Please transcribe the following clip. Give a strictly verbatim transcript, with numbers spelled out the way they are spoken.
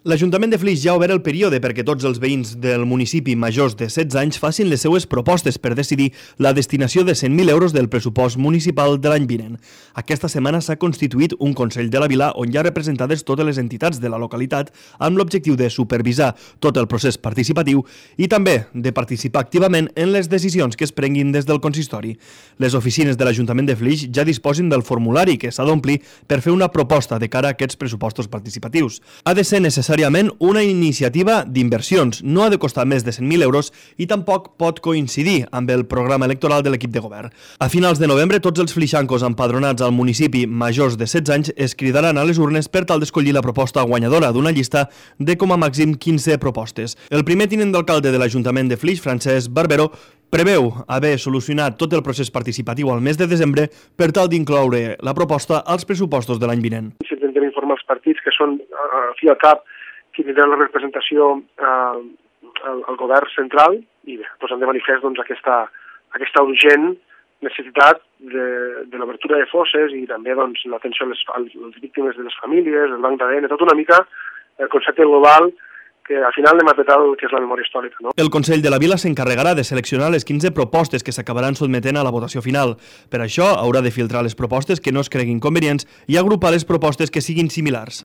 L'Ajuntament de Flix ja ha obert el període perquè tots els veïns del municipi majors de setze anys facin les seues propostes per decidir la destinació de cent mil euros del pressupost municipal de l'any vinent. Aquesta setmana s'ha constituït un Consell de la Vila on hi ha representades totes les entitats de la localitat amb l'objectiu de supervisar tot el procés participatiu i també de participar activament en les decisions que es prenguin des del consistori. Les oficines de l'Ajuntament de Flix ja disposen del formulari que s'ha d'omplir per fer una proposta de cara a aquests pressupostos participatius. Ha de ser necessari una iniciativa d'inversions, no ha de costar més de cent mil euros i tampoc pot coincidir amb el programa electoral de l'equip de govern. A finals de novembre, tots els flixancos empadronats al municipi majors de setze anys es cridaran a les urnes per tal d'escollir la proposta guanyadora d'una llista de com a màxim quinze propostes. El primer tinent d'alcalde de l'Ajuntament de Flix, Francesc Barbero, preveu haver solucionat tot el procés participatiu al mes de desembre per tal d'incloure la proposta als pressupostos de l'any vinent. Intentem informar els partits que són, al fi i al cap, qui tindrà la representació eh, al, al govern central i bé, posem de manifest doncs, aquesta, aquesta urgent necessitat de, de l'obertura de fosses i també doncs, l'atenció a les, a les víctimes de les famílies, el banc d'A D N, tot una mica el concepte global que al final hem apretat el que és la memòria històrica. No? El Consell de la Vila s'encarregarà de seleccionar les quinze propostes que s'acabaran sotmetent a la votació final. Per això haurà de filtrar les propostes que no es creguin convenients i agrupar les propostes que siguin similars.